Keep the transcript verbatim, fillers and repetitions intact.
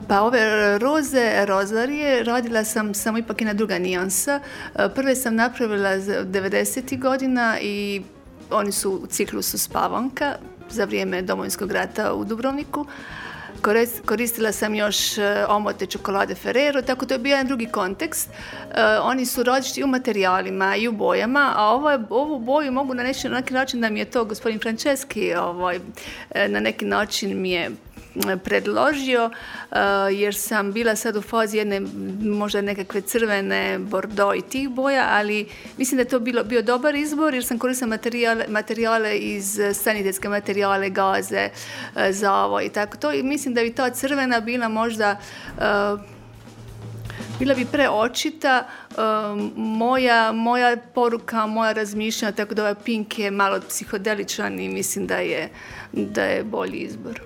Pa ove roze, rozarije, radila sam samo ipak jedna druga nijansa. Prve sam napravila devedesetih godina i oni su u ciklusu Spavanka za vrijeme Domovinskog rata u Dubrovniku. Koristila sam još omote čokolade Ferrero, tako to je bio jedan drugi kontekst. Oni su različiti u materijalima i u bojama, a ovo, ovu boju mogu na neki, na neki način da mi je to gospodin Franceski ovaj, na neki način mi je predložio, jer sam bila sad u fazi jedne možda nekakve crvene, bordo i tih boja, ali mislim da je to bilo, bio dobar izbor jer sam koristila materijale, materijale iz sanitetske materijale, gaze, zavo i tako to i mislim da bi ta crvena bila možda bila bi preočita, moja, moja poruka, moja razmišljanja, tako da ovaj pink je malo psihodeličan i mislim da je, da je bolji izbor.